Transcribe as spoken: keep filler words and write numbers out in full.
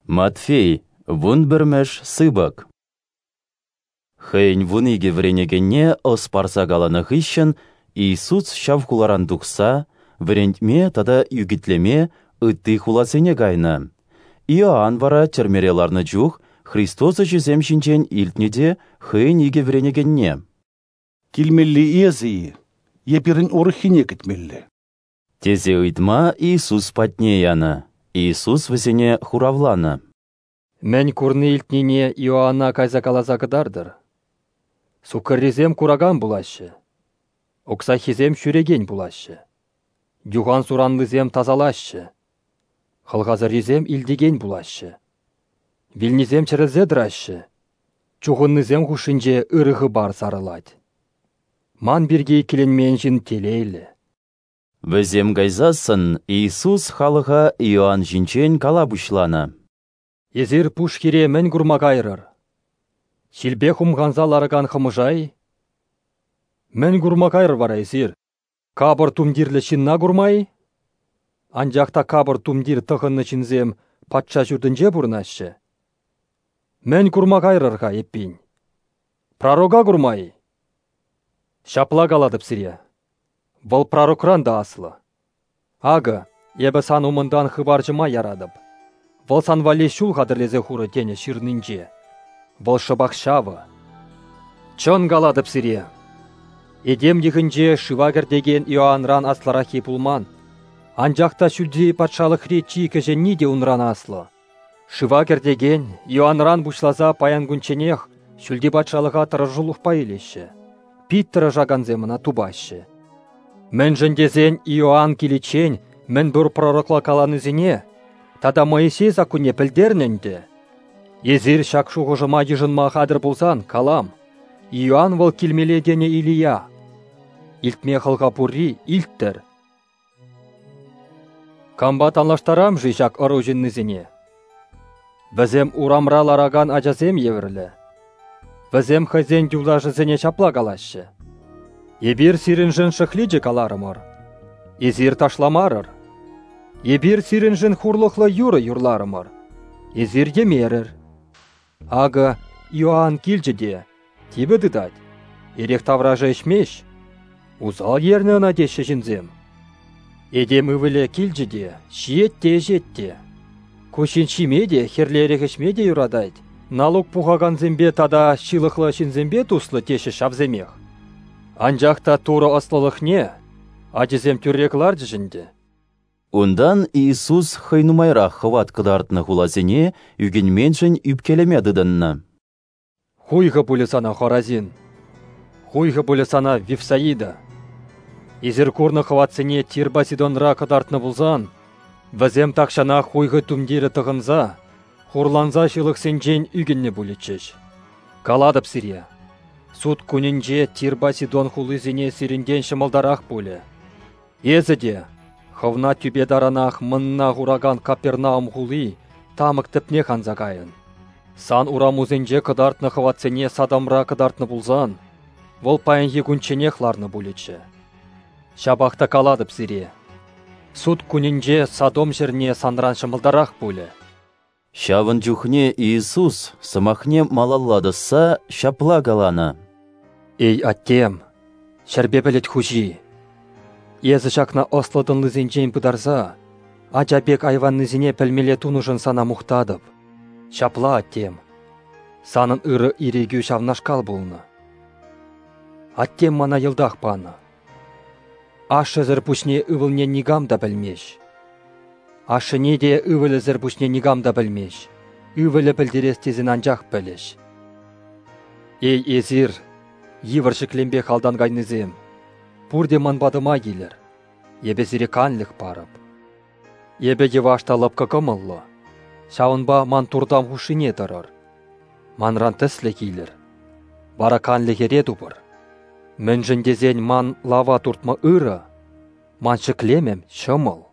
Матфей, вунпӗрмӗш сыпӑк. Хӑйӗн вун икӗ вӗренекенне ӑс парса каланӑ хыҫҫӑн Иисус ҫав хуларан тухса вӗрентме тата ӳкӗтлеме ытти хуласене кайнӑ. Иоанн вара тӗрмере ларнӑ чух Христос ӗҫӗсем ҫинчен илтнӗ те хӑйӗн икӗ вӗренекенне: «Килмелли эсӗ-и е пирӗн урӑххине кӗтмелле?» тесе ыйтма Иисус патне янӑ. Иисус вӗсене хуравланӑ: «Мӗн курни-илтнине Иоанна кайса каласа кӑтартӑр. Суккӑррисем куракан пулаҫҫӗ, уксаххисем ҫӳрекен пулаҫҫӗ, юхан-суранлисем тасалаҫҫӗ, хӑлхасӑррисем илтекен пулаҫҫӗ, вилнисем чӗрӗлсе тӑраҫҫӗ, чухӑннисем хушшинче ырӑ хыпар сарӑлать. Ман пирки иккӗленмен ҫын телейлӗ». Вӗсем кайсассӑн Иисус халӑха Иоанн ҫинчен кала пуҫланӑ: «Эсир пуш хире мӗн курма кайрӑр? Ҫилпе хумханса ларакан хӑмӑша-и? Мӗн курма кайрӑр вара эсир? Капӑр тумтирлӗ ҫынна курма-и? Анчах та капӑр тумтир тӑхӑннӑ ҫынсем патша ҫуртӗнче пурӑнаҫҫӗ. Мӗн курма кайрӑр-ха эппин? Пророка курма-и? Ҫапла калатӑп сире, вӑл пророкран та аслӑ. Акӑ, эпӗ сан умӑнтан хыпарҫӑма яратӑп. Вӑл сан валли ҫул хатӗрлесе хурӗ тенӗ ҫырнинче. Вӑл шӑпах ҫавӑ. Чӑн калатӑп сире, этем йӑхӗнче шыва кӗртекен Иоанран аслӑраххи пулман, анчах та ҫӳлти патшалӑхри чи кӗҫӗнни те унран аслӑ. Шыва кӗртекен Иоанран пуҫласа паян кунчченех ҫӳлти патшалӑха тӑрӑшулӑхпа илеҫҫӗ. Пит тӑрӑшакансем ӑна тупаҫҫӗ. Мӗншӗн тесен Иоанн киличчен мӗн пур пророкла каланисене тата Моисей саккунне пӗлтернӗ ӗнтӗ. Эсир ҫак шухӑшӑма йышӑнма хатӗр пулсан, калам, Иоанн вӑл килмелле тенӗ Илия. Илтме хӑлха пурри илттӗр. Кампа танлаштарам-ши ҫак ӑру ҫыннисене? Вӗсем урамра ларакан ачасем евӗрлӗ. Вӗсем хӑйсен юлташӗсене ҫапла калаҫҫӗ: «Эпир сирӗншӗн шӑхличӗ каларӑмӑр, эсир ташламарӑр. Эпир сирӗншӗн хурлӑхлӑ юрӑ юрларӑмӑр, эсир йӗмерӗр. Акӑ Иоанн килчӗ те типӗ тытать, эрех таврашӗ ӗҫмест. Усал ернӗ ӑна теҫҫӗ ҫынсем. Этем ывӑлӗ килчӗ те ҫиет те ӗҫет те. Ку ҫын ҫиме те, хӗрлӗ эрех ӗҫме те юратать, налук пухакансемпе тата ҫылӑхлӑ ҫынсемпе туслӑ теҫҫӗ ҫавсемех. Анчах та Турӑ ӑслӑлӑхне ачисем тӳрре кӑларчӗҫ ӗнтӗ». Унтан Иисус хӑй нумайрах хӑват кӑтартнӑ хуласене ӳкӗнменшӗн ӳпкелеме тытӑннӑ. «Хуйхӑ пулӗ сана, Хоразин! Хуйхӑ пулӗ сана, Вифсаида! Эсир курнӑ хӑватсене Тирпа Сидонра кӑтартнӑ пулсан, вӗсем тахҫанах хуйхӑ тумтирӗ тӑхӑнса, хурланса ҫылӑхсенчен ӳкӗннӗ пулӗччӗҫ. Калатӑп сире, суд кунӗнче Тирпа Сидон хулисене сирӗнтен ҫӑмӑлтарах пулӗ. Эсӗ те, хӑвна тӳпе таранах мӑнна хуракан Капернаум хули, тамӑк тӗпнех анса кайӑн. Сан урамусенче кӑтартнӑ хӑватсене Содомра кӑтартнӑ пулсан, вӑл паянхи кунчченех ларнӑ пулӗччӗ. Ҫапах та калатӑп сире, суд кунӗнче Содом ҫӗрне санран ҫӑмӑлтарах пулӗ». Ҫавӑн чухне Иисус сӑмахне малалла тӑсса ҫапла каланӑ: «Эй, Аттем, ҫӗрпе пӗлӗт хуҫи, эсӗ ҫакна ӑслӑ-тӑнлисенчен пытарса, ача пек айваннисене пӗлмелле тунӑшӑн сана мухтатӑп. Ҫапла, Аттем, санӑн ырӑ ирӗкӳ ҫавнашкал пулнӑ. Аттем мана йӑлтах панӑ. Ашшӗсӗр пуҫне ывӑлне никам та пӗлмест. Ашшӗне те ывӑлӗсӗр пуҫне никам та пӗлмест. Ывӑлӗ пӗлтерес тесен анчах пӗлӗҫ. Эй, эсир, йывӑр ҫӗклемпе халтан кайнисем, пурте ман патӑма килӗр, эпӗ сире канлӗх парӑп. Эпӗ йӑваш та лӑпкӑ кӑмӑллӑ, ҫавӑнпа ман туртам хушшине тӑрӑр. Манран тӗслӗх илӗр, вара канлӗхӗре тупӑр. Мӗншӗн тесен ман лава туртма ырӑ, ман ҫӗклемӗм ҫӑмӑл».